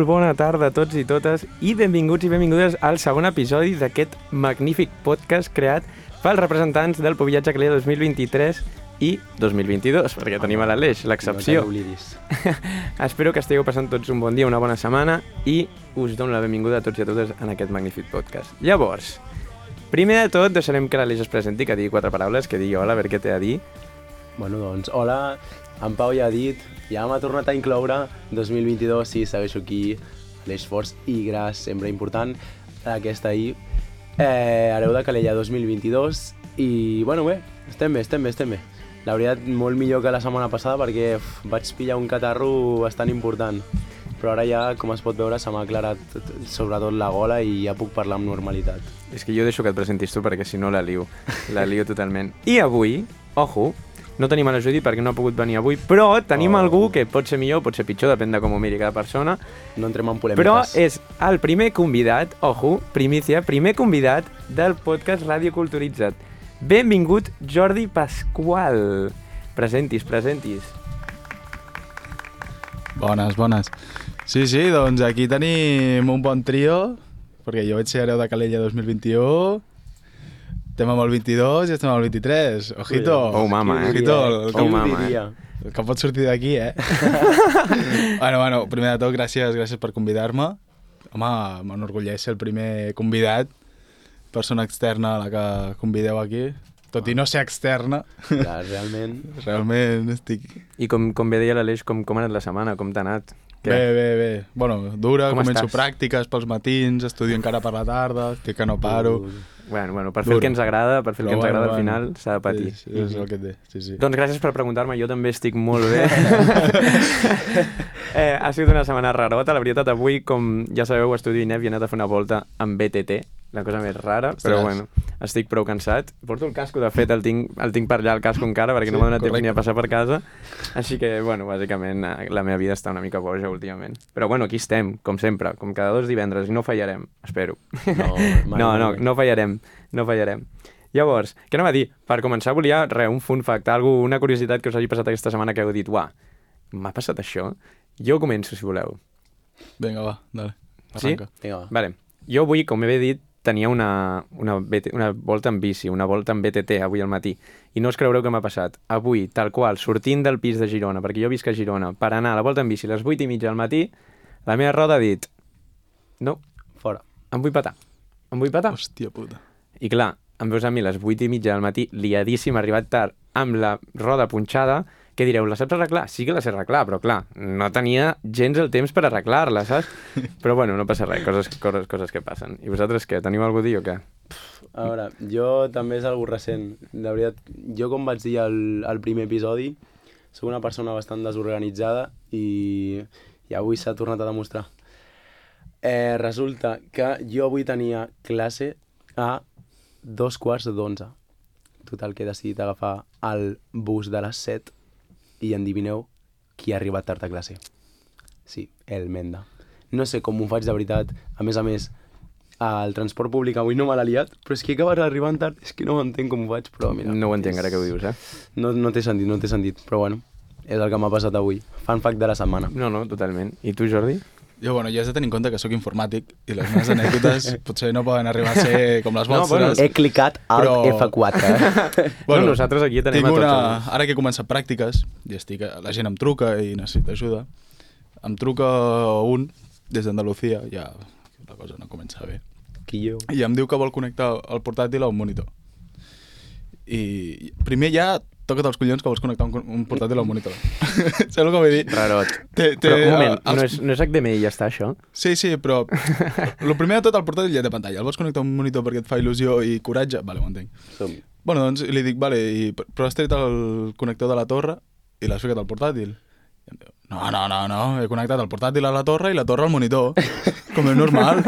Molt bona tarda a tots i totes i benvinguts i benvingudes al segon episodi d'aquest magnífic podcast creat pels representants del Pobillatge Calella 2023 i 2022, perquè tenim a l'Aleix, l'excepció. No t'oblidis. Espero que estigueu passant tots un bon dia, una bona setmana i us dono la benvinguda a tots i a totes en aquest magnífic podcast. Llavors, primer de tot deixarem que l'Aleix es presenti, que digui 4 paraules, que digui hola, a veure què té a dir. Bueno, doncs, hola, en Pau ja ha dit, ja m'ha tornat a incloure, 2022, sí, segueixo aquí, l'esforç i gras, sempre important, aquesta ahir, hereu de Calella 2022, i, bueno, bé, estem bé. La veritat, molt millor que la setmana passada perquè vaig pillar un catarro bastant important, però ara ja, com es pot veure, se m'ha aclarat sobretot la gola i ja puc parlar amb normalitat. És que jo deixo que et presentis tu perquè si no la lio totalment. I avui, ojo, no tenim a la Judit perquè no ha pogut venir avui, però tenim algú que pot ser millor, pot ser pitjor, depèn de com ho miri cada persona. No entrem en polèmiques. Però és el primer convidat, ojo, primícia, primer convidat del podcast Ràdio Culturitzat. Benvingut, Jordi Pasqual. Presentis. Bones. Sí, doncs aquí tenim un bon trio, perquè jo vaig ser hereu de Calella 2021, estem amb el 22 i estem amb el 23. Ojito! Oh, mama, Ojito, Oh, mama, el que pot sortir d'aquí, Bueno, primer de tot, gràcies per convidar-me. Home, m'enorgulleix ser el primer convidat, persona externa a la que convideu aquí, tot i no ser externa. Clar, realment estic... I com bé deia l'Aleix, com ha anat la setmana, com t'ha anat? Bé. Bueno, dura, Com començo estàs? Pràctiques pels matins, estudio encara per la tarda, que no paro. Bueno, per fer el que ens agrada, al final s'ha de patir. Sí, és el que té, sí. Doncs gràcies per preguntar-me, jo també estic molt bé. Ha sigut una setmana rarota, la veritat, avui, com ja sabeu, estudio INEF i he anat a fer una volta amb BTT, la cosa més rara, però bueno, estic prou cansat. Porto el casco, de fet, el tinc per allà, el casco encara, perquè no m'ha donat temps ni a passar per casa, així que, bueno, bàsicament, la meva vida està una mica boja últimament. Però, bueno, aquí estem, com sempre, com cada 2 divendres, i no fallarem, espero. No fallarem. Llavors, què anava a dir? Per començar volia, un fun fact, una curiositat que us hagi passat aquesta setmana que heu dit, uah, m'ha passat això? Jo començo, si voleu. Vinga, va, dale, arranca. Sí? Vinga, va. Vale. Jo avui, com he dit, tenia una volta en bici, una volta en BTT avui al matí, i no us creureu què m'ha passat. Avui, tal qual, sortint del pis de Girona, perquè jo visc a Girona, per anar a la volta en bici a les 8:30 del matí, la meva roda ha dit, no, fora, em vull petar. Hòstia puta. I clar, em veus a mi a les 8:30 del matí, liadíssim, arribat tard, amb la roda punxada, què direu, la saps arreglar? Sí que la sé arreglar, però clar, no tenia gens el temps per arreglar-la, saps? Però bueno, no passa res, coses que passen. I vosaltres què, teniu alguna cosa a dir o què? A veure, jo també és algo recent. La veritat, jo com vaig dir al primer episodi, soc una persona bastant desorganitzada i avui s'ha tornat a demostrar. Resulta que jo avui tenia classe a 11:15. Total, que he decidit agafar el bus de les 7 i endivineu qui ha arribat tard a classe. Sí, el Menda. No sé com ho faig de veritat. A més, el transport públic avui no me l'ha liat, però és que he acabat arribant tard, és que no m'entenc com ho faig, però mira... No ho entenc ara que ho dius, No té sentit, però bueno, és el que m'ha passat avui. Fun fact de la setmana. No, totalment. I tu, Jordi? Jo, bueno, ja has de tenir en compte que sóc informàtic i les meves anècdotes potser no poden arribar a ser com les vostres. Bueno, he clicat Alt F4. Bueno, nosaltres aquí tenim a tots. Ara que he començat pràctiques, i la gent em truca i necessita ajuda, em truca un des d'Andalucía, ja la cosa no comença bé. I em diu que vol connectar el portàtil a un monitor. I primer ja toca't els collons que vols connectar un portàtil al monitor. Saps el que vull dir? Rarot. Però un moment, no és HDMI i ja està, això? Sí, però el primer de tot, el portàtil ja té pantalla. El vols connectar a un monitor perquè et fa il·lusió i coratge? Vale, ho entenc. Bueno, doncs li dic, vale, però has tret el connector de la torre i l'has ficat al portàtil? I em diu, no, he connectat el portàtil a la torre i la torre al monitor, com és normal.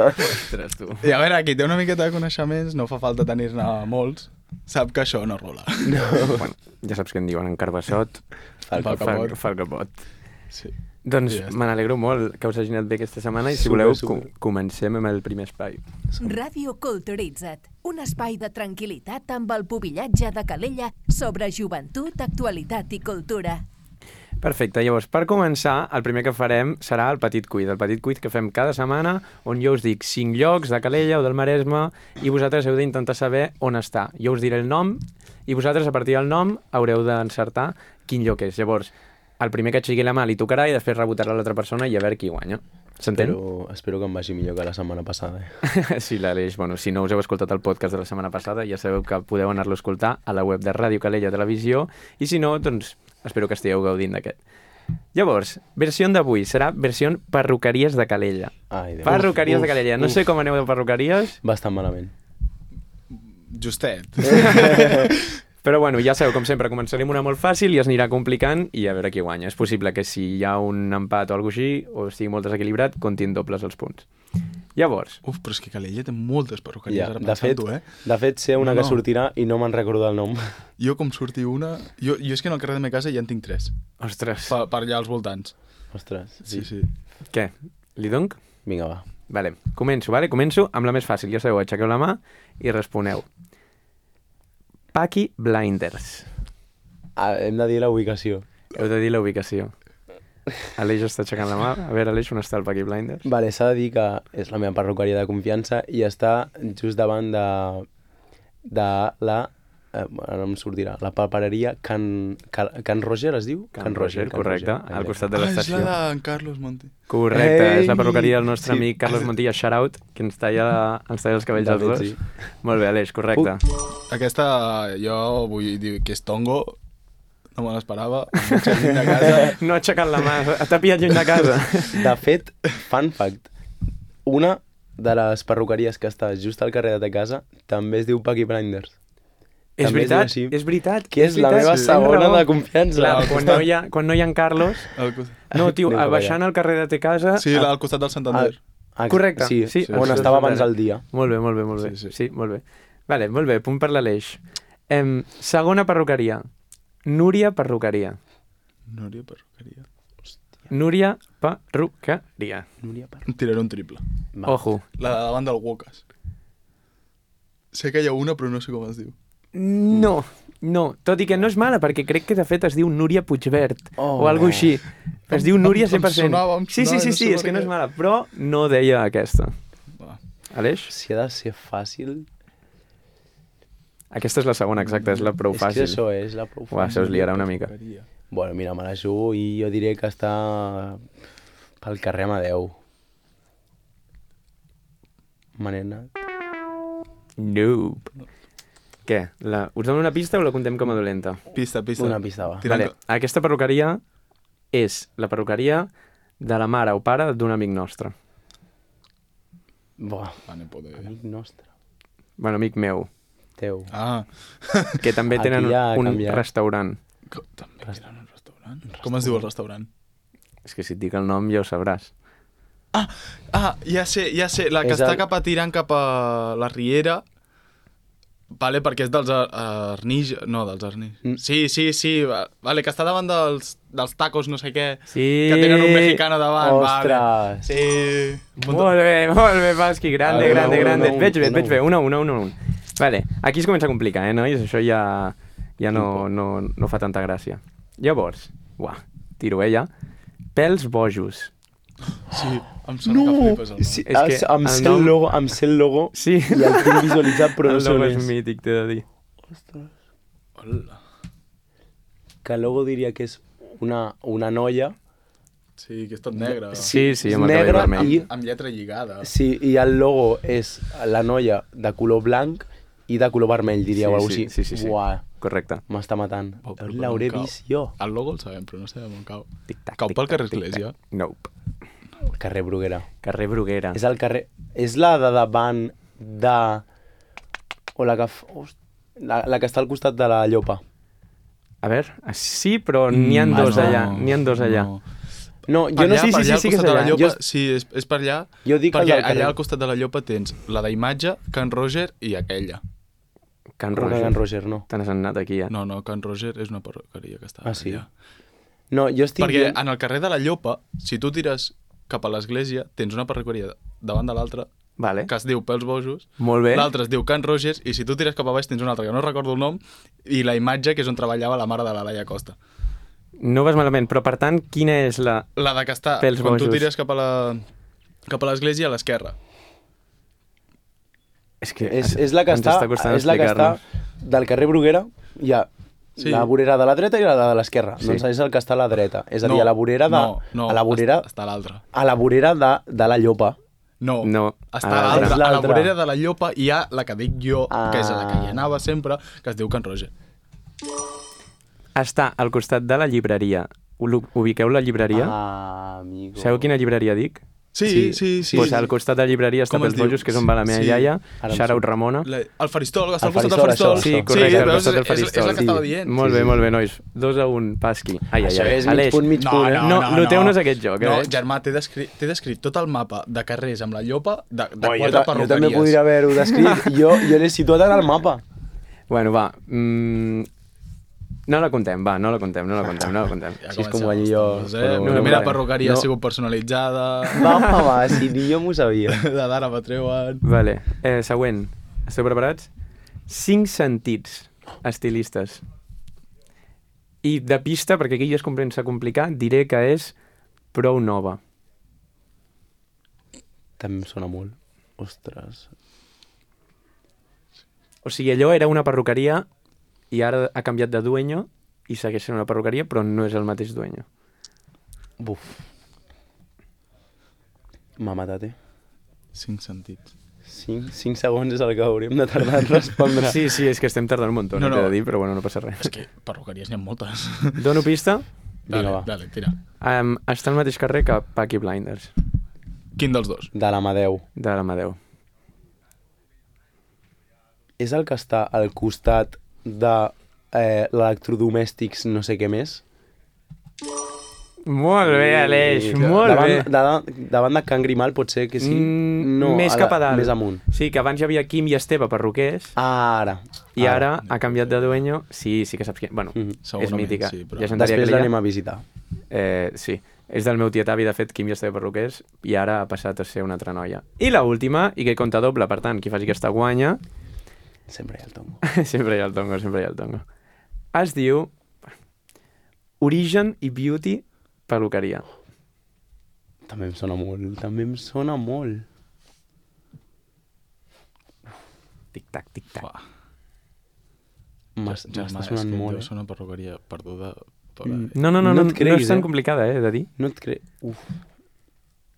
Ostres, tu. I a veure, qui té una miqueta de coneixements, no fa falta tenir-ne molts, sap que això no rola. Bueno, ja saps què en diuen, en Carbassot fa el capot. Sí. Doncs me n'alegro molt que us hagi anat bé aquesta setmana i si voleu comencem amb el primer espai. Ràdio Culturitzat, un espai de tranquil·litat amb el Pobillatge de Calella sobre joventut, actualitat i cultura. Perfecte, llavors, per començar, el primer que farem serà el petit quiz. El petit quiz que fem cada setmana, on jo us dic 5 llocs de Calella o del Maresme i vosaltres heu d'intentar saber on està. Jo us diré el nom i vosaltres, a partir del nom, haureu d'encertar quin lloc és. Llavors, el primer que aixequi la mà li tocarà i després rebotarà l'altra persona i a veure qui guanya. S'entén? Espero que em vagi millor que la setmana passada. Sí, l'Aleix, bueno, si no us heu escoltat el podcast de la setmana passada, ja sabeu que podeu anar-lo a escoltar a la web de Ràdio Calella Televisió, i si no, doncs espero que estigueu gaudint d'aquest. Llavors, versió d'avui serà versió perruqueries de Calella. Ai, Déu. Perruqueries de Calella. No sé com aneu de perruqueries. Bastant malament. Justet. Però bueno, ja sabeu, com sempre, començarem una molt fàcil i es anirà complicant i a veure qui guanya. És possible que si hi ha un empat o alguna cosa així, o estigui molt desequilibrat, comptin dobles els punts. Llavors... Uf, però és que Calella té moltes perruqueries, Ja, ara de fet, pensant-ho, de fet, sé una No, que no. sortirà i no me'n recordo el nom. Jo, com surti una... Jo és que en el carrer de meva casa ja en tinc 3. Ostres, Per allà als voltants. Ostres, Sí, sí. què? Li donc? Vinga, va. Vale, començo amb la més fàcil. Ja sabeu, aixequeu la mà i responeu. Peaky Blinders. Hem de dir la ubicació. Heu de dir la ubicació. Aleix està aixecant la mà. A veure, Aleix, on està el Peaky Blinders? Vale, s'ha de dir que és la meva perruqueria de confiança i està just davant de la... ara no em sortirà. La papereria Can Roger, es diu? Can Roger, correcte, al costat de Ah, és l'estació. la d'en Carlos Monti. Correcte, és la Ei! perruqueria del nostre Sí. amic Carlos Montilla, shout-out, que ens talla els cabells als De fet, dos. sí. Molt bé, Aleix, correcte. Aquesta, jo vull dir que és tongo, no me l'esperava, em vaig a lluny de casa. No ha aixecat la mà, t'ha pillat lluny de casa. De fet, fun fact, una de les perruqueries que està just al carrer de ta casa també es diu Peaky Blinders. És També es diu veritat, així. és veritat. Que és la veritat, meva tens segona raó. de confiança. Clar, Al quan no hi ha en Carlos... Al costat. No, tio, Anem cap baixant allà. al carrer de te casa... Sí, al costat del Santander. Correcte, Sí, sí, on això estava és abans vera. el dia. Molt bé, molt bé, molt bé. Sí, sí. Sí, molt bé. Vale, molt bé, punt per l'Aleix. Segona perruqueria. Núria Perruqueria. Núria Perruqueria. Núria Perruqueria. Núria Per... Tiraré un triple. Va. Ojo. La de davant del Wokas. Sé que hi ha una, però no sé com es diu. No, tot i que no és mala, perquè crec que de fet es diu Núria Puigvert, o alguna així. Es diu Núria 100%. Em Sí, sonava, sí, és que no és mala, però no deia aquesta. Va. Aleix? Si ha de ser fàcil... Aquesta és la segona, exacta, és la prou És que fàcil. això és la prou Uah, fàcil. se us liarà una mica. Bueno, mira, me la jugo i jo diré que està pel carrer Amadeu. Manena. Nope. Què? Us dono una pista o la contem com a dolenta? Pista. Una pista, va. Tirant- Vale, aquesta perruqueria és la perruqueria de la mare o pare d'un amic nostre. Buah, Vale, poder. amic nostre. Bueno, amic meu, Teu. Ah, que també Aquí tenen ja ha un canviat. restaurant. també tenen un restaurant. Com es diu el restaurant? És que si et dic el nom ja ho sabràs. Ah, ja sé, la que És està el- cap a tirant cap a la Riera, vale, perquè és dels Arnix... No, dels Arnix. Mm. Sí, vale, que està davant dels tacos no sé què, Sí! que tenen un mexicano davant, Ostres! vale. Sí. Molt bé, Pasqui, grande, Vale, grande, una, grande. una, Et veig una, bé, un. Vale, aquí es comença a complicar, nois? Això ja no fa tanta gràcia. Llavors, tiro, ja. Pèls bojos. Sí, em sona que flipes el nom. Sí, És que em el sé nom- el logo Sí. i el tinc visualitzat, però no El sé nom on és és. mític, t'he de dir. Hola. Que el logo diria que és una noia. Sí, que és tot negre. Sí, és amb el cabell negra vermell. i... Amb lletra lligada. Sí, i el logo és la noia de color blanc i de color vermell, diria, o alguna cosa així. Sí. Buah, Correcte. m'està matant. Oh, però L'hauré on cau? vist jo. El logo el sabem, però no sabem on cau. Tic-tac, Cau pel tic-tac, carrer tic-tac. Església? Nope. Carrer Bruguera. Carrer Bruguera. És el carrer... És la de davant de... O la que... La que està al costat de la Llopa. A veure, sí, però n'hi ha dos allà. N'hi ha dos allà. No. No, jo Per no allà, sé per si allà, al sí que és costat de la allà. Llopa, sí, és per allà. Jo dic el perquè del carrer. allà al costat de la Llopa tens la d'imatge, Can Roger i aquella. Can Però que Roger. Can Roger no. Te n'has anat aquí, eh? No, Can Roger és una perruqueria que està Ah, sí? allà. No, jo estic Perquè dient... en el carrer de la Llopa, si tu tires cap a l'església, tens una perruqueria davant de l'altra Vale. que es diu Pels Bojos, Molt bé. l'altre es diu Can Rogers, i si tu tires cap a baix tens una altra que no recordo el nom, i la imatge que és on treballava la mare de la Laia Costa. No vas malament, però per tant, quina és la... La de que està, Pels quan tu bojos. tires cap a l'església, a l'esquerra. És que És la que ens està, costant és la que està explicar-nos. del carrer Bruguera, hi ha Sí. la vorera de la dreta i la de l'esquerra. Sí. Doncs és el que està a la dreta. És a dir, a la vorera de... No, a la vorera, està a l'altra. a la vorera de la Llopa. No, No, està a a l'altra. l'altra. A la l'altra. vorera de la Llopa hi ha la que dic jo, que és la que hi Ah. anava sempre, que es diu Can Roger. Està al costat de la llibreria. Ubiqueu la llibreria? Ah, amigo. Sabeu quina llibreria dic? Sí. Pues al costat de la llibreria està Com es Pels diu? Bojos, que és on va la meva Sí. iaia. Ara em Shout-out surt. Ramona. El faristol, que està al El costat del faristol, faristol. això. Sí, correcte, al veus? costat del És la faristol. que estava dient. Molt bé, molt bé, nois. 2-1, Pasqui. Ai, Això és mig Aleix, punt, mig punt. No, noteu-nos aquest joc, No, eh? germà, t'he descrit tot el mapa de carrers amb la llopa de Jo, 4 jo també perruqueries. podria haver-ho descrit. Jo l'he situat en el mapa. Bueno, va. No la contem, va, no la contem. Ja Així és com comencem guanyi els jo. tombos, però- La primera vale. perruqueria ha No. sigut personalitzada, Va, si ni jo m'ho sabia. de d'ara me treuen... Vale, següent. Esteu preparats? 5 sentits estilistes. I de pista, perquè aquí ja es comença a complicar, diré que és prou nova. També em sona molt. Ostres. O sigui, allò era una perruqueria i ara ha canviat de dueño i segueix sent una perruqueria, però no és el mateix dueño. Buf. M'ha matat, 5 sentits. 5 segons és el que hauríem de tardar en respondre. Sí, és que estem tardant un munt, No, no, t'he no. de dir, però bueno, no passa res. És que perruqueries n'hi ha moltes. Dono pista. Vinga, va. Dale, tira. Està al mateix carrer que Peaky Blinders, Quin dels dos? De l'Amadeu. de l'Amadeu. És el que està al costat de l'electrodomèstics no sé què més? Molt bé, Aleix, I- molt bé. Davant de Can Grimal pot ser que sí? Més cap a dalt. Més amunt. Sí, que abans hi havia Quim i Esteve perruquers, Ara. i ara ha canviat de dueño. Sí que saps qui... Bueno, Mhm. és Segurament, mítica. sí, però- Ja s'entendria Després que l'anem a visitar. Sí, és del meu tiet avi, de fet, Quim i Esteve perruquers, i ara ha passat a ser una altra noia. I la última, i que compta doble, per tant, qui faci aquesta guanya, Sempre hi ha el tongo. sempre hi ha el tongo. Es diu Origen i Beauty Peluqueria. També em sona molt. Tic-tac, tic-tac. Uah. M'està Germà, sonant és que molt, deu ser una perruqueria perduda tota. No No et no creguis, és tan eh? complicada, de dir. No et crec... Uf.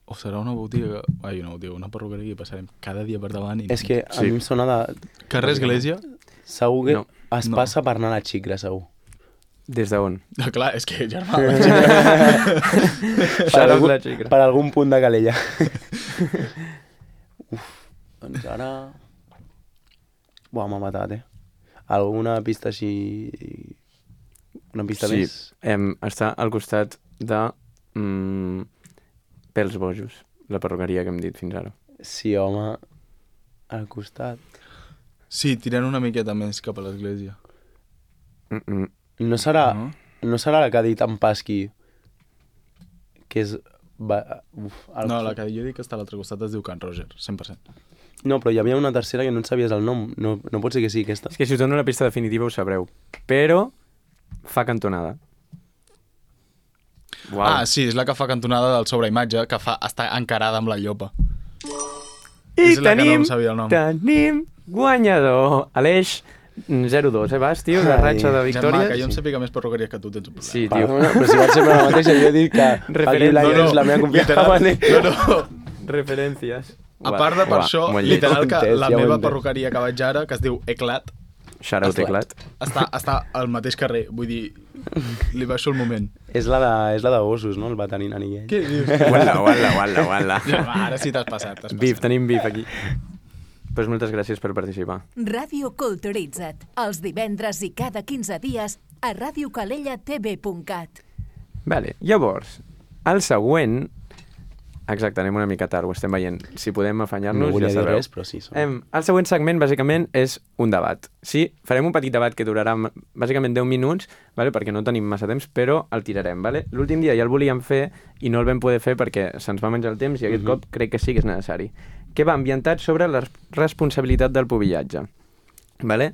O serà una botiga... Ai, una botiga, una perruqueria que passarem cada dia per davant i... És que a Sí. mi em sona de... Carrer Església? Segur que No. es No. passa per anar a la xicra, segur. Des d'on? Ah, clar, és que, germà, Per algun punt de Calella. Uf, doncs ara... Buah, m'ha matat, Alguna pista així... Una pista Sí, més? està al costat de Pels Bojos, la perruqueria que hem dit fins ara. Sí, home, al costat. Sí, tirant una miqueta més cap a l'església. No serà, No? no serà la que ha dit en Pasqui, que és... No, la que jo dic que està a l'altre costat es diu Can Roger, 100%. No, però hi havia una tercera que no et sabies el nom. No pot ser que sigui aquesta. És que si us dono la pista definitiva ho sabreu. Però fa cantonada. Uau. Ah, sí, és la que fa cantonada del sobreimatge, que està encarada amb la llopa. I és la que no em sabia el nom. tenim guanyador. Aleix, 0-2, vas, tio, de Ai. ratxa de Germà, victòries. que jo em sàpiga més perruqueries que tu tens un problema. Sí, Però, tio. però si vaig ser la mateixa, jo he dit que Paqui Blinders, la meva confiança. No. Referències. A part de per això, molt lleig. literal, que Ja ho he la entès. meva perruqueria que vaig ara, que es diu Eclat, Shout-out teclat. està al mateix carrer. Vull dir, li baixo el moment. És la de gossos, no? El veterinari aquell. Què dius? Uala. Germà, ara sí t'has passat. Bif, tenim bif aquí. Pues moltes gràcies per participar. Ràdio Culturitza't, els divendres i cada 15 dies a radiocalellatv.cat. Vale, llavors, el següent... Exacte, anem una mica tard, ho estem veient. Si podem afanyar-nos, No volia ja dir sabeu. res, però sí. El següent segment, bàsicament, és un debat. Sí, farem un petit debat que durarà bàsicament 10 minuts, vale? Perquè no tenim massa temps, però el tirarem. Vale? L'últim dia ja el volíem fer i no el vam poder fer perquè se'ns va menjar el temps i aquest cop crec que sí que és necessari. Que va ambientat sobre la responsabilitat del pubillatge. Vale?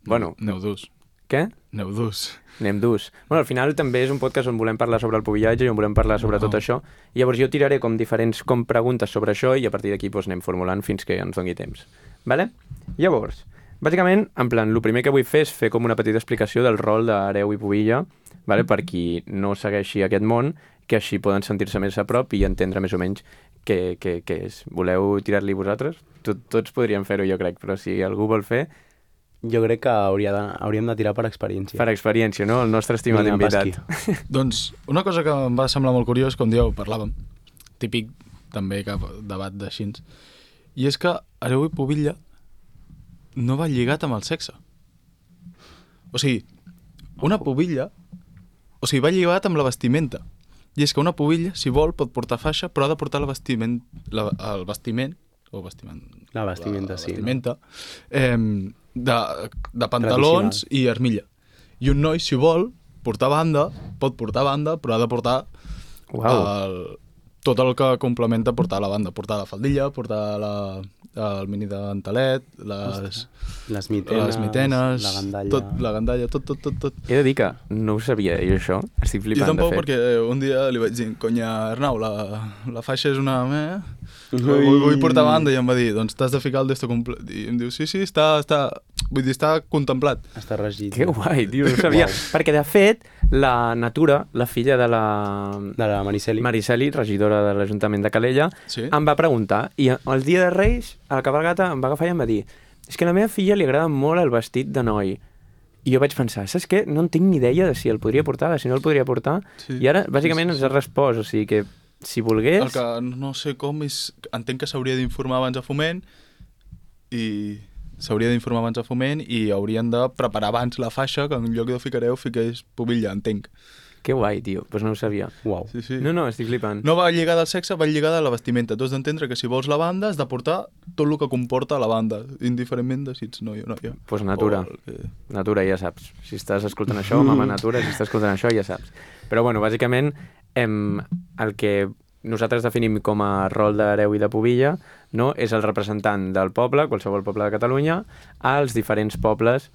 Bueno, Aneu durs. Què? Aneu durs. Anem durs. Bueno, al final també és un podcast on volem parlar sobre el pubillatge i on volem parlar sobre tot això. I llavors jo tiraré com diferents preguntes sobre això i a partir d'aquí doncs, anem formulant fins que ens doni temps. Vale? Llavors, bàsicament, en plan, el primer que vull fer és fer com una petita explicació del rol d'hereu i pubilla, vale? Per qui no segueixi aquest món, que així poden sentir-se més a prop i entendre més o menys què és. Voleu tirar-li vosaltres? Tots podríem fer-ho, jo crec, però si algú vol fer... Jo crec que hauríem de tirar per experiència. Per experiència, no? El nostre estimat invitat. Doncs una cosa que em va semblar molt curiós, com dieu, parlàvem, típic també cap debat d'així, i és que hereu i pubilla no va lligat amb el sexe. O sigui, una pubilla... O sigui, va lligat amb la vestimenta. I és que una pubilla, si vol, pot portar faixa, però ha de portar el vestimenta, sí. De pantalons i armilla. I un noi, si vol, portar banda, pot portar banda, però ha de portar tot el que complementa portar la banda. Portar la faldilla, portar el mini dentelet, les mitenes, la gandalla, tot. He de dir que no ho sabia, jo això. Estic flipant, jo tampoc, de fet. perquè un dia li vaig dir, conya, Arnau, la faixa és una... Vull portar banda, i em va dir, doncs t'has de ficar el d'esto complet. I em diu, sí, vull dir, està contemplat. Està regit. Que guai, tio, no ho sabia. Perquè, de fet, la Natura, la filla de la Mariceli, regidora de l'Ajuntament de Calella, em va preguntar, i el dia de Reis, a la cabalgata, em va agafar i em va dir, és que a la meva filla li agrada molt el vestit de noi. I jo vaig pensar, saps què? No en tinc ni idea de si el podria portar, de si no el podria portar. I ara, bàsicament, ens ha respost, o sigui que si volgués... El que no sé com és... Entenc que s'hauria d'informar abans a Foment i haurien de preparar abans la faixa, que en lloc de ficareu, fiqués pubilla, entenc. Que guai, tio, doncs no ho sabia. Uau. Sí. No, estic flipant. No va lligada al sexe, va lligada a la vestimenta. Tu has d'entendre que si vols la banda has de portar tot el que comporta la banda, indiferentment de si ets noi o noia. Doncs Natura. Natura, ja saps. Si estàs escoltant això, mama Natura, si estàs escoltant això, ja saps. Però, bueno, bàsicament, el que nosaltres definim com a rol d'hereu i de pubilla, no? És el representant del poble, qualsevol poble de Catalunya, als diferents pobles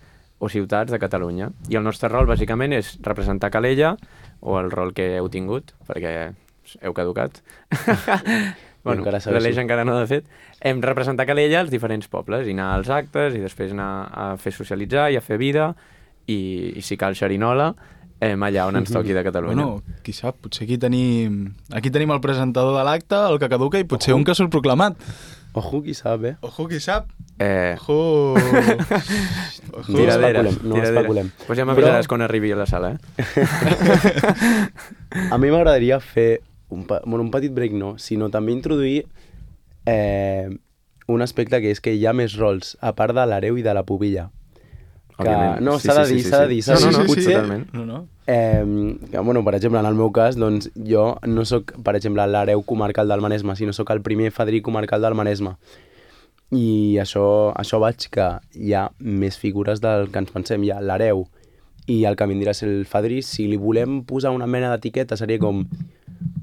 o ciutats de Catalunya. I el nostre rol, bàsicament, és representar Calella, o el rol que heu tingut, perquè heu caducat. Bueno, l'Aleix encara no, de fet. Hem representat Calella als diferents pobles, i anar als actes, i després anar a fer socialitzar i a fer vida, i si cal xerinola, allà on ens toqui de Catalunya. Bueno, qui sap, potser aquí tenim el presentador de l'acte, el que caduca, i potser un que surt proclamat. Ojo, qui sap, Ojo, qui sap. No especulem. Pues ja m'avisaràs quan arribi a la sala, A mi m'agradaria fer un petit break, sinó també introduir un aspecte que és que hi ha més rols, a part de l'hereu i de la pubilla. No, s'ha de dir. Totalment. Per exemple, en el meu cas, doncs, jo no sóc, per exemple, l'hereu comarcal del Maresme, sinó sóc el primer fadrí comarcal del Maresme. I això vaig que hi ha més figures del que ens pensem. Hi ha l'hereu i el que vindrà a ser el fadrí. Si li volem posar una mena d'etiqueta, seria com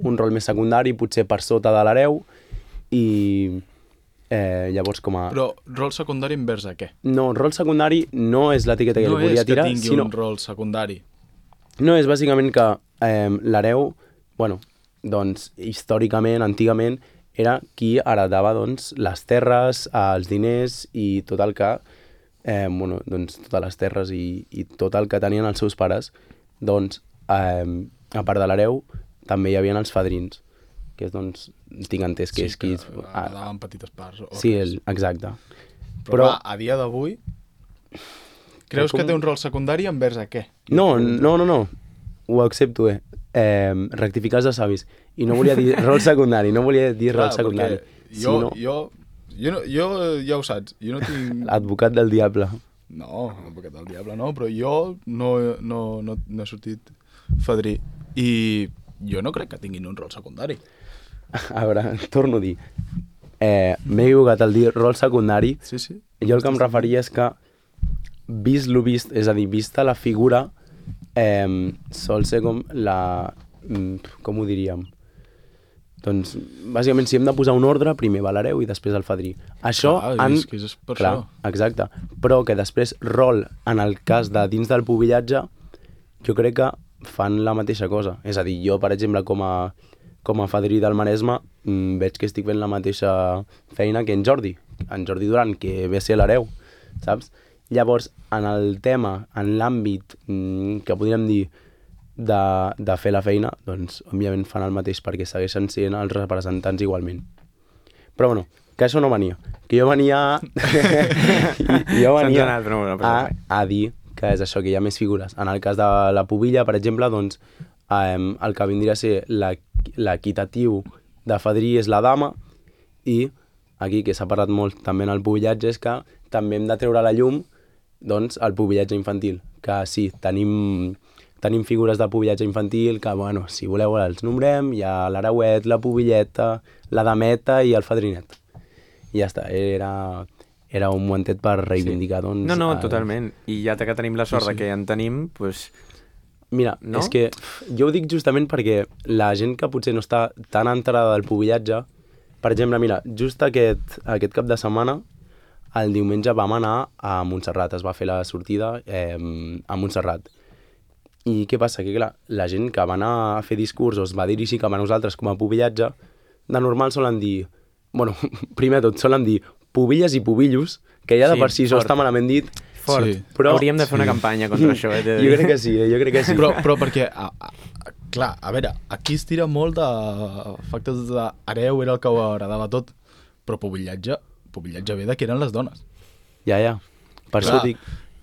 un rol més secundari, potser per sota de l'hereu, i... llavors com a... Però rol secundari envers a què? No, rol secundari no és l'etiqueta que li volia tirar, no és que tingui un rol secundari. No, és bàsicament que l'hereu, doncs, històricament, antigament, era qui heretava, doncs, les terres, els diners i tot el que... doncs, totes les terres i tot el que tenien els seus pares. Doncs, a part de l'hereu, també hi havia els fadrins, que és, doncs, tinc entès que és qui... Daven petites parts. Sí, exacte. Però a dia d'avui, creus que té un rol secundari envers a què? No, ho accepto, rectificar els de savis. I no volia dir rol secundari, rol secundari. Jo ja ho saps, jo no tinc... Advocat del diable. No, advocat del diable no, però jo no he sortit fadrí. I jo no crec que tinguin un rol secundari. A veure, torno a dir. M'he equivocat al dir rol secundari. Sí. Jo el que em referia és que, vist lo vist, és a dir, vista la figura, sol ser com la... com ho diríem? Doncs, bàsicament, si hem de posar un ordre, primer va l'hereu i després el fadrí. Això... És que és per això. Exacte. Però que després rol, en el cas de dins del pubillatge, jo crec que fan la mateixa cosa. És a dir, jo, per exemple, com a fadrí del Maresme, veig que estic fent la mateixa feina que en Jordi Duran, que ve a ser l'hereu, saps? Llavors, en el tema, en l'àmbit que podríem dir de fer la feina, doncs, òbviament fan el mateix perquè segueixen sent els representants igualment. Però, bueno, que això no venia. Que jo venia... a dir que és això, que hi ha més figures. En el cas de la pubilla, per exemple, doncs, el que vindria a ser l'equitatiu de fadrí és la dama, i aquí, que s'ha parlat molt també en el pubillatge, és que també hem de treure a la llum doncs, el pubillatge infantil, que sí, tenim figures de pubillatge infantil que, bueno, si voleu els nombrem, hi ha l'hereuet, la pubilleta, la dameta i el fadrinet. I ja està, era un momentet per reivindicar, doncs... No, totalment. I ja que tenim la sort que en tenim, doncs... Mira, és que jo ho dic justament perquè la gent que potser no està tan enterada del pubillatge, per exemple, mira, just aquest cap de setmana, el diumenge vam anar a Montserrat, es va fer la sortida a Montserrat. I què passa? Que clar, la gent que va anar a fer discursos va dirigir cap a nosaltres com a pubillatge, de normal solen dir... Bueno, primer tot, solen dir pubilles i pubillos, que ja de per si això està malament dit. Fort. Sí. Però... Hauríem de fer una campanya contra això. Jo crec que sí, Però perquè, clar, a veure, aquí es tira molt de factors d'hereu, era el que ho agradava tot, però pubillatge ve de que eren les dones. Ja. Per això dic...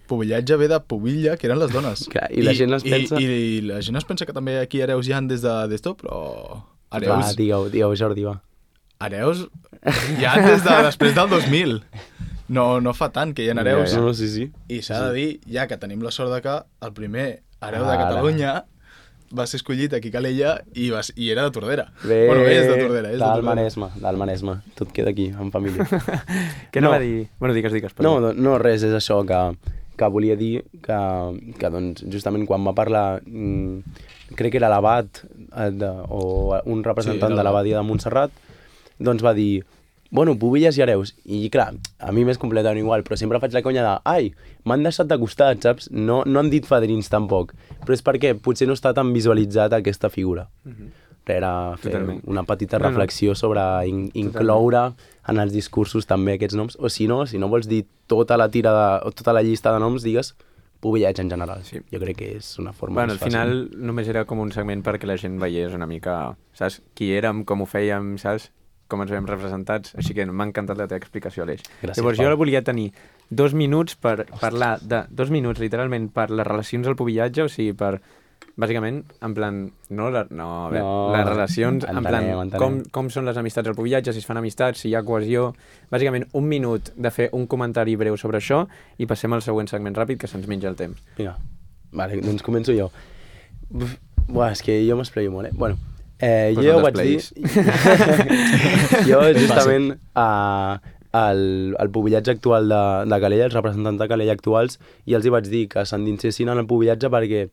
Pubillatge ve de pubilla, que eren les dones. Clar, i la gent es pensa... I la gent es pensa que també aquí hereus hi han des d'esto, però... Hereus... Va, digueu, Jordi, va. Hereus hi ha des de després del 2000. No fa tant que hi ha hereus. No, sí. I s'ha de dir, ja que tenim la sort de que el primer hereu de Catalunya va ser escollit aquí a Calella i era de Tordera. Bueno, és de Tordera. Del Maresme. Tot queda aquí, en família. Què no va dir? Bueno, digues. No, res, és això que volia dir que doncs, justament quan va parlar, crec que era l'abat o un representant de l'abadia de Montserrat, doncs va dir, bueno, pubilles i hereus. I clar, a mi m'és completament igual, però sempre faig la conya de, ai, m'han deixat de costat, saps? No han dit fadrins tampoc, però és perquè potser no està tan visualitzat aquesta figura. Era fer una petita reflexió sobre incloure en els discursos també aquests noms, o si no vols dir tota la llista de noms, digues pubillets en general. Sí. Jo crec que és una forma més fàcil. Al final només era com un segment perquè la gent veiés una mica, saps? Qui érem, com ho fèiem, saps? Com ens veiem representats, així que m'ha encantat la teva explicació, Aleix. Gràcies, llavors, jo volia tenir 2 minuts per parlar de... 2 minuts, literalment, per les relacions al pubillatge, o sigui, per... Bàsicament, en plan... les relacions, en plan, com són les amistats al pubillatge, si es fan amistats, si hi ha cohesió... Bàsicament, 1 minut de fer un comentari breu sobre això i passem al següent segment ràpid, que se'ns menja el temps. Vinga, vale, doncs començo jo. Buah, és que jo m'esplaio molt, Bueno, jo ja ho vaig dir... Jo, justament, el pubillatge actual de Calella, els representants de Calella actuals, i els hi vaig dir que s'endinsessin en el pubillatge perquè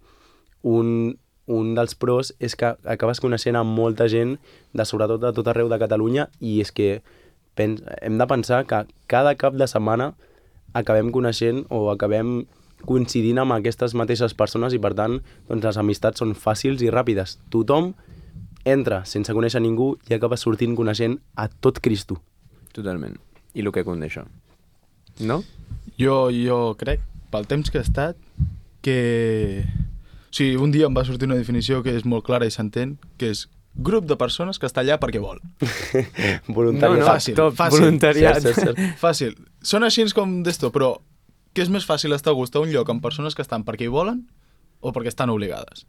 un dels pros és que acabes coneixent amb molta gent, sobretot de tot arreu de Catalunya, i és que hem de pensar que cada cap de setmana acabem coneixent o acabem coincidint amb aquestes mateixes persones i, per tant, doncs, les amistats són fàcils i ràpides. Tothom entra sense conèixer ningú i acaba sortint coneixent a tot Cristo. Totalment. I el que conté això. No? Jo crec, pel temps que he estat, que... O sigui, un dia em va sortir una definició que és molt clara i s'entén, que és grup de persones que està allà perquè vol. Voluntariat. Fàcil. Voluntariat. Fàcil. Són així com d'esto, però què és més fàcil estar a gust a un lloc amb persones que estan perquè hi volen o perquè estan obligades?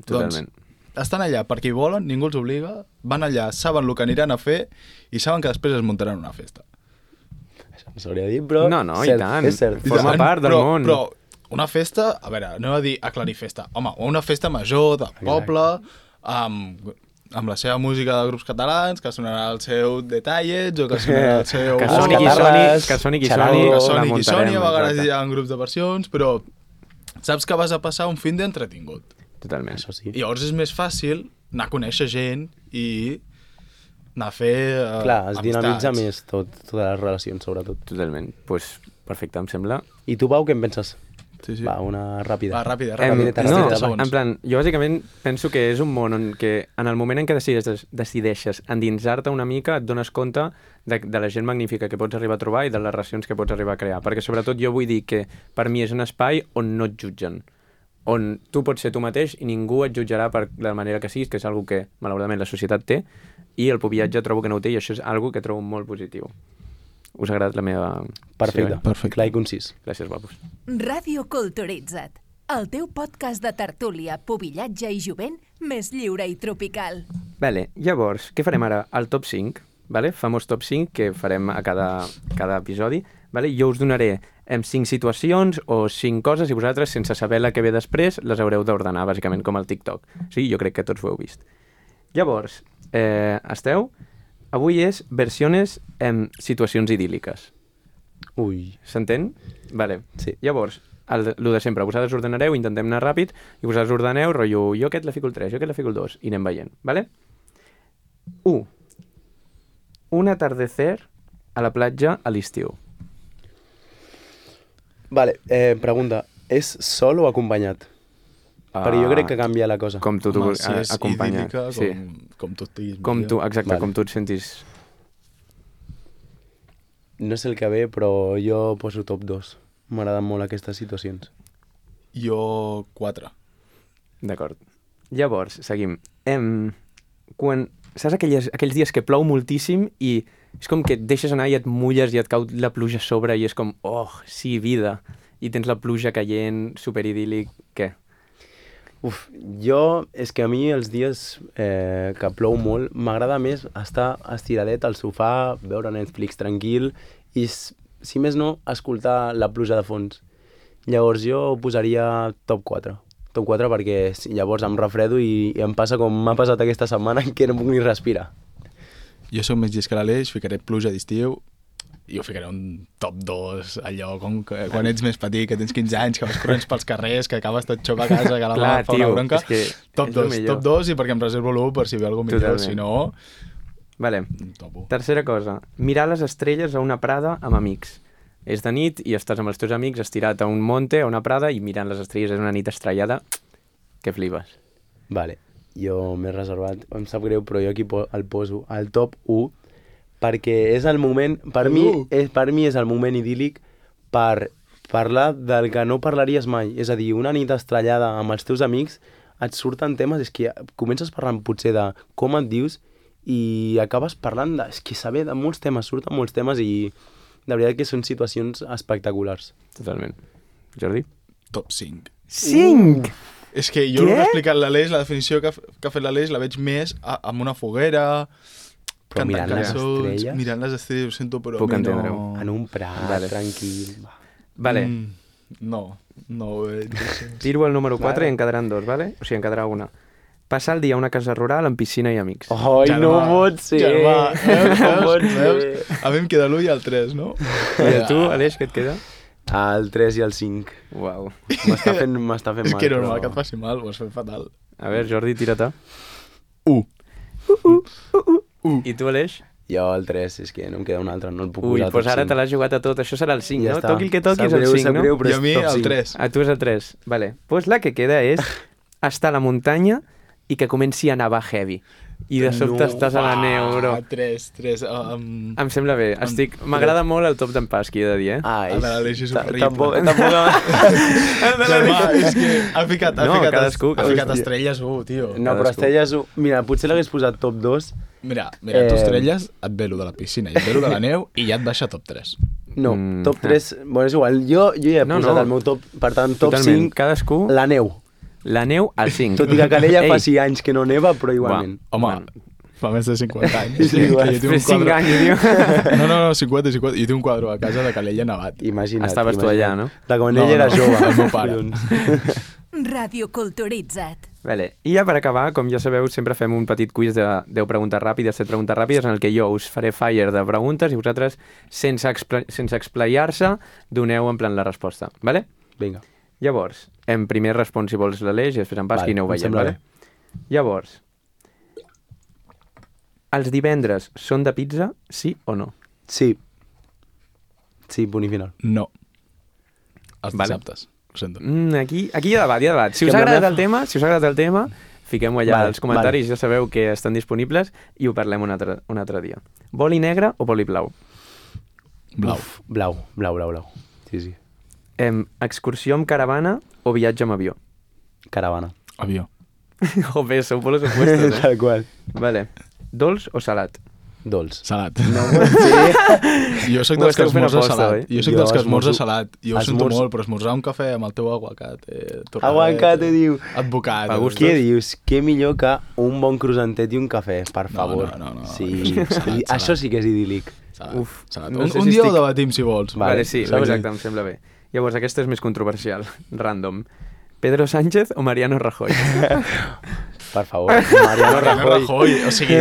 Totalment. Doncs estan allà perquè hi volen, ningú els obliga, van allà, saben el que aniran a fer i saben que després es muntaran una festa. Això no s'hauria de dir, però... No, i tant. És cert. Forma part del món. Però una festa, a veure, no a dir aclarir festa. Home, una festa major, del poble, amb la seva música de grups catalans, que sonarà el seu Detallets, o que sonarà el seu... Que soni qui soni, a vegades hi ha grups de versions, però saps que vas a passar un fin d'entretingut. Totalment. Això sí. I llavors és més fàcil anar a conèixer gent i anar a fer Clar, es dinamitza amistats. més totes les relacions, sobretot. Totalment. Doncs pues, perfecte, em sembla. I tu, Pau, què en penses? Sí, sí. Va, una ràpida. Va, ràpida. No, segons. en plan, jo bàsicament penso que és un món on que en el moment en què decideixes endinsar-te una mica et dones compte de la gent magnífica que pots arribar a trobar i de les relacions que pots arribar a crear. Perquè sobretot jo vull dir que per mi és un espai on no et jutgen, on tu pots ser tu mateix i ningú et jutjarà per la manera que siguis, que és algo que malauradament la societat té, i el pubillatge trobo que no ho té i això és algo que trobo molt positiu. Us ha agradat la meva... Perfecte, Perfecte. clar i concís. Gràcies, guapos. Ràdio Culturitza't, el teu podcast de tertúlia, pubillatge i jovent més lliure i tropical. Vale, llavors, què farem ara? El top 5, vale? Famós top 5 que farem a cada episodi. Vale? Jo us donaré 5 situacions o 5 coses i vosaltres, sense saber la que ve després, les haureu d'ordenar, bàsicament, com el TikTok. Sí, jo crec que tots ho heu vist. Llavors, esteu? Avui és versiones en situacions idíl·liques. Ui. S'entén? Vale. Sí. Llavors, el de sempre, vosaltres ordenareu, intentem anar ràpid, i vosaltres ordeneu, rotllo, jo aquest la fico el 3, jo aquest la fico el 2, i anem veient, vale? 1. Un atardecer a la platja a l'estiu. Vale, pregunta, és sol o acompanyat? Perquè jo crec que canvia la cosa. Com tu Home, si és acompanyat. idíl·lica, Sí. com tu estiguis. Com tu, exacte, Vale. com tu et sentis... No sé el que ve, però jo poso top 2. M'agraden molt aquestes situacions. Jo 4. D'acord. Llavors, seguim. Quan... Saps aquells dies que plou moltíssim i és com que et deixes anar i et mulles i et cau la pluja a sobre i és com, oh, sí, vida. I tens la pluja caient, superidíl·lic, què? Uf, jo, és que a mi els dies que plou molt, m'agrada més estar estiradet al sofà, veure Netflix tranquil i, si més no, escoltar la pluja de fons. Llavors jo posaria top 4. Top 4 perquè llavors em refredo i em passa com m'ha passat aquesta setmana que no puc ni respirar. Jo som més llest que l'Aleix, ficaré pluja d'estiu i ho ficaré un top 2, allò com que quan ets més petit, que tens 15 anys, que vas corrents pels carrers, que acabes tot xop a casa, que la Clar, mare fa una tio, bronca. és que Top és el 2, millor. top 2 i perquè em reservo l'1 per si ve alguna millor, Totalment. si no, Vale. top 1. Tercera cosa, mirar les estrelles a una prada amb amics. És de nit i estàs amb els teus amics estirat a un monte, a una prada, i mirant les estrelles, és una nit estrellada, que flipes. Vale, jo m'he reservat, em sap greu, però jo aquí el poso al top 1 perquè és el moment, per mi és el moment idíl·lic per parlar del que no parlaries mai. És a dir, una nit estrellada amb els teus amics, et surten temes, és que comences parlant potser de com et dius i acabes parlant de... És que saber de molts temes, surten molts temes i de veritat que són situacions espectaculars. Totalment. Jordi? Top 5. 5! És que jo el que ha explicat l'Aleix, la definició que ha fet l'Aleix, la veig més amb una foguera, Però mirant les estrelles... Mirant les estrelles, ho sento, però Puc a mi entendre-ho. no... En un prat, Vale. tranquil... Va. Vale, No ho veig. tiro el número 4 i en quedaran 2, vale? O sigui, en quedarà una. Passar el dia a una casa rural amb piscina i amics. Ai, no pot ser! Germà, No pot veus? ser! A mi em queda l'1 i el 3, no? I a tu, Aleix, què et queda? El 3 i el 5. Uau. M'està fent mal. És que normal que et faci mal, ho has fet fatal. A veure, Jordi, tira-te. 1. I tu, Aleix? Jo el 3, és que no em queda un altre, no el puc Ui, posar doncs tot ara 5. te l'has jugat a tot. Això serà el 5, Ja no? està. Toqui el que toqui, és Sap el greu, 5, sap no? greu, però I a és mi top el 5. 3. A tu és el 3. Vale. Doncs la que queda és estar a la muntanya i que comenci a nevar heavy. I de sobte No, estàs a la neu, bro. 3. Em sembla bé. M'agrada molt el top d'en Pasqui, he de dir, eh? Ai, El de l'Aleix és horrible. Tampoc... Germà, és que ha ficat cadascú. estrelles 1, tio. No, però Estrelles... Mira, potser l'hagués posat top 2. Mira, tu estrelles, et ve lo de la piscina i et ve lo de la neu i ja et baixa top 3. No, top 3... Bueno, és igual, jo ja he posat el meu top... Per tant, top Totalment. 5, Cadascú, la neu. la neu al 5. Tot i que a Calella Ei, fa 6 anys que no neva, però igualment. Home, fa més de 50 anys. Sí, igual. Que jo tinc un 5 quadre... anys, tio. No, 50. Jo tinc un quadre a casa de Calella nevat. Imagina't. Estaves tu allà, no? De quan No, ell era no, jove. el meu pare. Collons. Ràdio Culturitza't. Vale. I ja per acabar, com ja sabeu, sempre fem un petit quiz de 10 preguntes ràpides, 7 preguntes ràpides, en el que jo us faré fire de preguntes i vosaltres, sense explayar-se, doneu en plan la resposta. Vale? Vinga. Llavors, en primer respon si vols l'Aleix i després en Pasqui Vale, aneu em veient, sembla vale? Llavors, Els divendres són de pizza, sí o no? Sí. Sí, punt i final. No. Els Vale. dissabtes. Ho sento. Aquí hi ha debat. Si us ha agradat el tema, fiquem-ho allà als comentaris, ja sabeu que estan disponibles i ho parlem un altre dia. Boli negre o boli blau? Blau. Uf, blau. Sí, sí. Excursió amb caravana o viatge amb avió? Caravana. Avió. Joder, sou polos opuestos, Tal qual. Vale. Dolç o salat? Dolç. Salat. No ho sé. Jo soc Ho dels que esteu fent esmorza aposta, salat. oi? Jo soc Jo dels que esmorza esmorzo- salat. Jo ho sento esmorzo- molt, però esmorzar un cafè amb el teu aguacate... Aguacate, diu. Advocat. A gust. Què dius? Què millor que un bon croissantet i un cafè, per No, favor. no. Sí, Salat. això sí que és idíl·lic. Salat. Uf, Salat. no sé Un si dia ho estic- debatim, si vols. Vale, sí, saps? exacte, em sembla bé. Llavors, aquesta és més controversial, random. Pedro Sánchez o Mariano Rajoy? Per favor, Mariano Rajoy. O sigui,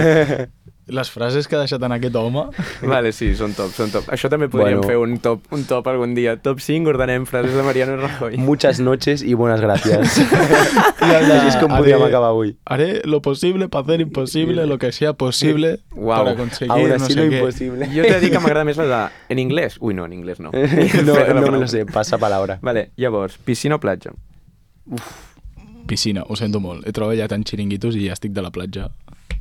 les frases que ha deixat en aquest home... Vale, sí, són top. Això també podríem fer un top algun dia. Top 5, ordenem frases de Mariano Rajoy. Muchas noches y buenas gracias. Així és com podríem acabar avui. Haré lo posible para hacer imposible lo que sea posible Guau. para conseguir Aún no así sé lo qué. imposible. Jo t'he de dir que m'agrada més la de... En anglès? Ui, no, en anglès no. No me lo sé, passa palabra. Vale, llavors, piscina o platja? Piscina, ho sento molt. He treballat en xiringuitos i ja estic de la platja.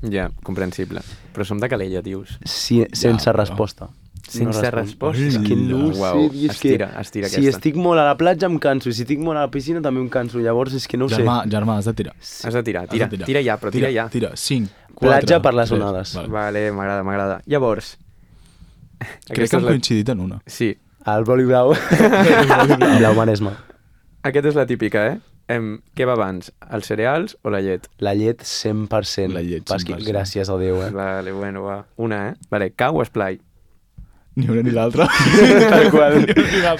Ja, comprensible. Però som de Calella, dius. Sí, sense però- resposta. Sense resposta. És que no ho Uau, sé, és que... estira Si aquesta. estic molt a la platja em canso, i si estic molt a la piscina també em canso, llavors és que no ho sé. Germà, has de tirar. Has de tirar, Has de tira ja, però tira ja. Tira, 5, 4, Platja per les onades. Vale. Vale, m'agrada. Llavors... Crec que hem coincidit en una. Sí, El boli blau. Blau Maresme. aquesta és la típica, eh? Què va abans, els cereals o la llet? La llet 100%. La llet Pasqui, 100%. gràcies a Déu, Vale, bueno, va. Una, eh? Vale, cau o esplai? Ni una ni l'altra. Tal qual. Cau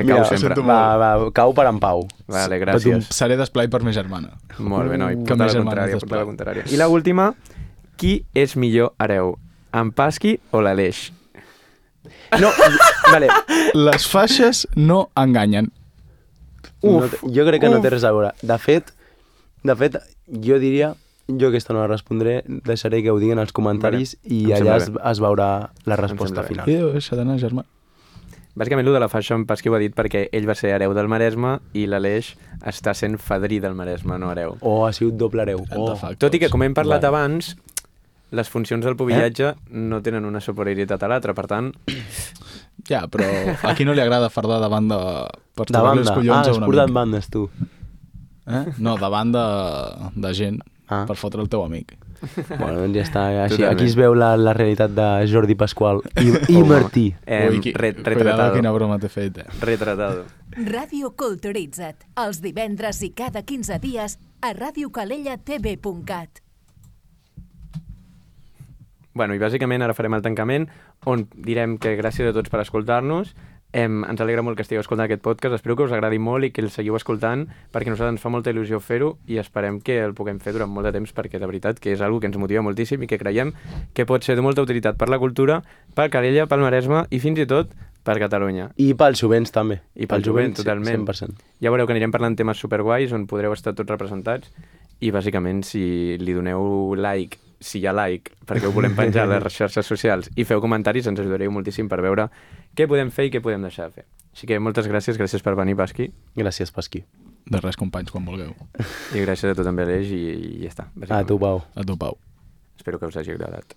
Mira, sempre. sento Va, cau per en Pau. Vale, gràcies. Seré d'esplai per ma germana. Molt bé, noi, Que porta més la germanes contrària, porta la d'esplai. contrària. I la última, qui és millor hereu? En Pasqui o l'Aleix? No, vale. Les faixes no enganyen. Jo crec que no té res a veure. De fet, jo diria... Jo aquesta no la respondré, deixaré que ho diguin als comentaris i em allà sembla es veurà la resposta sembla bé. final. I deixa d'anar, germà. Bàsicament, el de la faixa en Pasqui ho ha dit perquè ell va ser hereu del Maresme i l'Aleix està sent fadrí del Maresme, no hereu. O ha sigut doble hereu. Oh. Tot i que, com hem parlat Vale. abans, les funcions del pubillatge no tenen una superioritat a l'altra, per tant... Ja, però a qui no li agrada fardar davant de... Per De tocar-li els banda. collons a Has un portat amic. bandes, tu. No, davant de gent per fotre el teu amic. Bueno, doncs ja està. Així, Totalment. aquí es veu la realitat de Jordi Pasqual i Martí. Ui, cuidado Retratado. quina broma t'he fet, Retratado. Ràdio Culturitza't, els divendres i cada 15 dies a radiocalellatv.cat. Bueno, i bàsicament ara farem el tancament, on direm que gràcies a tots per escoltar-nos. Ens alegra molt que estigueu escoltant aquest podcast, espero que us agradi molt i que el seguiu escoltant, perquè a nosaltres ens fa molta il·lusió fer-ho i esperem que el puguem fer durant molt de temps, perquè de veritat que és una que ens motiva moltíssim i que creiem que pot ser de molta utilitat per la cultura, per Calella, pel Maresme i fins i tot per Catalunya. I pels jovents, també. I pel jovent, totalment. 100%. Ja veureu que anirem parlant temes superguais on podreu estar tots representats i bàsicament si li doneu like, si hi ha like, perquè ho volem penjar a les xarxes socials i feu comentaris, ens ajudareu moltíssim per veure què podem fer i què podem deixar de fer. Així que moltes gràcies per venir, Pasqui. Gràcies, Pasqui. De res, companys, quan vulgueu. I gràcies a tu també, Aleix, i ja està. A tu, Pau. A tu, Pau. Espero que us hagi agradat.